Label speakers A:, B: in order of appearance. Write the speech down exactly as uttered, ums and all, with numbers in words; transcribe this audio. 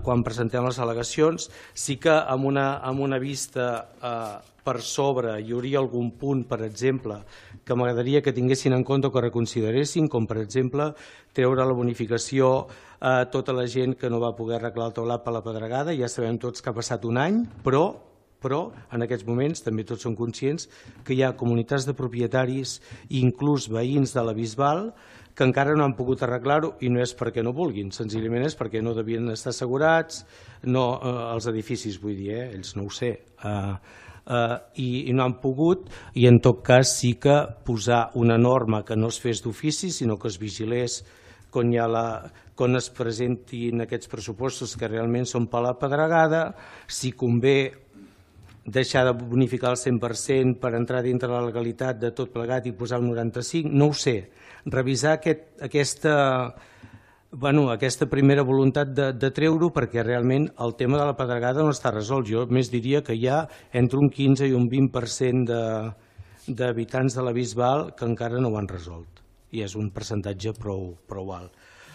A: quan presentem les al·legacions. Sí que amb una vista per sobre hi hauria algun punt, per exemple, que m'agradaria que tinguessin en compte o que reconsideressin, com per exemple treure la bonificació a tota la gent que no va poder arreglar el teulat per la pedregada. Ja sabem tots que ha passat un any, però però en aquests moments també tots som conscients que hi ha comunitats de propietaris i inclús veïns de la Bisbal que encara no han pogut arreglar-ho, i no és perquè no vulguin, senzillament és perquè no devien estar assegurats, els edificis vull dir, ells no ho sé, i no han pogut, i en tot cas sí que posar una norma que no es fes d'ofici, sinó que es vigilés quan es presentin aquests pressupostos que realment són per la pedregada, si convé deixar de bonificar el cent per cent per entrar dintre la legalitat de tot plegat i posar el noranta-cinc, no ho sé. Revisar aquesta primera voluntat de treure-ho perquè realment el tema de la pedregada no està resolt. Jo més diria que hi ha entre un quinze i un vint per cent d'habitants de la Bisbal que encara no ho han resolt i és un percentatge prou alt.